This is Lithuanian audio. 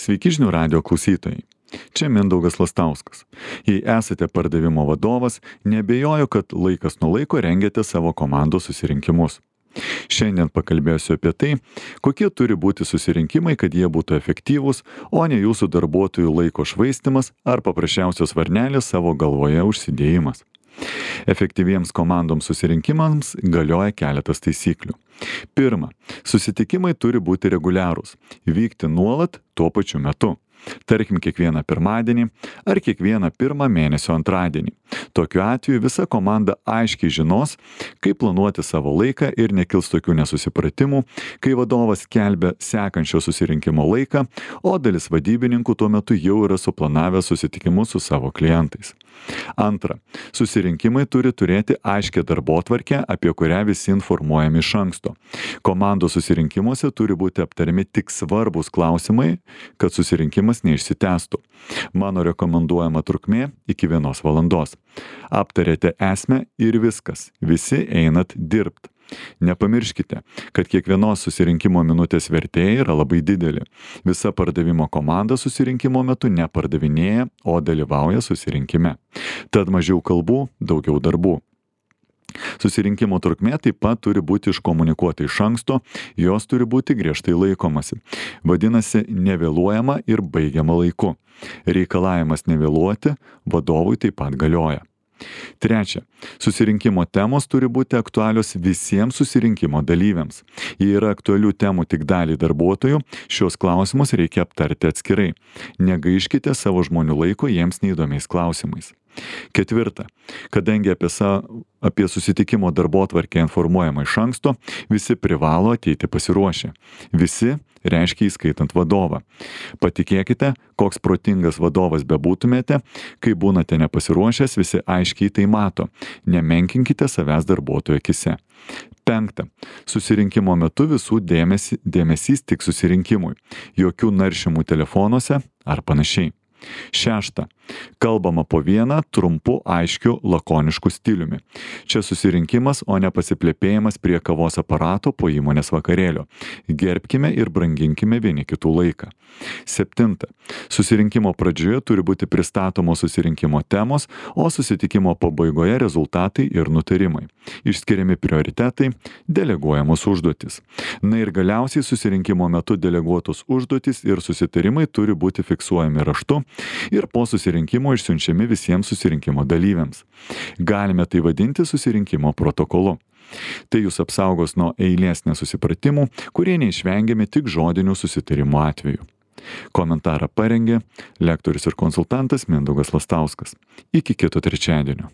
Sveiki žinių radio klausytojai. Čia Mindaugas Lastauskas. Jei esate pardavimo vadovas, neabejoju, kad laikas nuo laiko rengiate savo komandos susirinkimus. Šiandien pakalbėsiu apie tai, kokie turi būti susirinkimai, kad jie būtų efektyvūs, o ne jūsų darbuotojų laiko švaistymas ar paprasčiausios varnelės savo galvoje užsidėjimas. Efektyviems komandoms susirinkimams galioja keletas taisyklių. Pirma, susitikimai turi būti reguliarūs, vykti nuolat tuo pačiu metu. Tarkim, kiekvieną pirmadienį ar kiekvieną pirmą mėnesio antradienį. Tokiu atveju visa komanda aiškiai žinos, kaip planuoti savo laiką ir nekils tokių nesusipratimų, kai vadovas skelbia sekančio susirinkimo laiką, o dalis vadybininkų tuo metu jau yra suplanavę susitikimus su savo klientais. Antra, susirinkimai turi turėti aiškią darbotvarkę, apie kurią visi informuojami iš anksto. Komandos susirinkimuose turi būti aptariami tik svarbus klausimai, kad susirinkimas neišsitęstų. Mano rekomenduojama trukmė iki 1 valandos. Aptarėte esmę ir viskas. Visi einat dirbt. Nepamirškite, kad kiekvienos susirinkimo minutės vertė yra labai didelė. Visa pardavimo komanda susirinkimo metu nepardavinėja, o dalyvauja susirinkime. Tad mažiau kalbų, daugiau darbų. Susirinkimo trukmė taip pat turi būti iškomunikuota iš anksto, jos turi būti griežtai laikomasi. Vadinasi, nevėluojama ir baigiama laiku. Reikalavimas nevėluoti vadovui taip pat galioja. Trečia, susirinkimo temos turi būti aktualios visiems susirinkimo dalyviams. Jei yra aktualių temų tik daliai darbuotojų, šios klausimus reikia aptarti atskirai. Negaiškite savo žmonių laiko jiems neįdomiais klausimais. Ketvirta, kadangi apie susitikimo darbotvarkę informuojama iš anksto, visi privalo ateiti pasiruošę. Visi reiškia įskaitant vadovą. Patikėkite, koks protingas vadovas bebūtumėte, kai būnate nepasiruošęs, visi aiškiai tai mato. Nemenkinkite savęs darbuotojų akise. Penkta, susirinkimo metu visų dėmesys tik susirinkimui. Jokių naršymų telefonuose ar panašiai. Šešta, kalbama po vieną trumpu, aiškiu, lakonišku stiliumi. Čia susirinkimas, o ne pasiplėpėjimas prie kavos aparato po įmonės vakarėlio. Gerbkime ir branginkime vieni kitų laiką. Septinta, susirinkimo pradžioje turi būti pristatomos susirinkimo temos, o susitikimo pabaigoje rezultatai ir nutarimai. Išskiriami prioritetai, deleguojamos užduotis. Na ir galiausiai susirinkimo metu deleguotos užduotis ir susitarimai turi būti fiksuojami raštu ir po susirinkimo išsiunčiami visiems susirinkimo dalyviams. Galime tai vadinti susirinkimo protokolu. Tai jūs apsaugos nuo eilės nesusipratimų, kurie neišvengiami tik žodinių susitarimų atveju. Komentarą parengė lektorius ir konsultantas Mindaugas Lastauskas. Iki kito trečiadienio.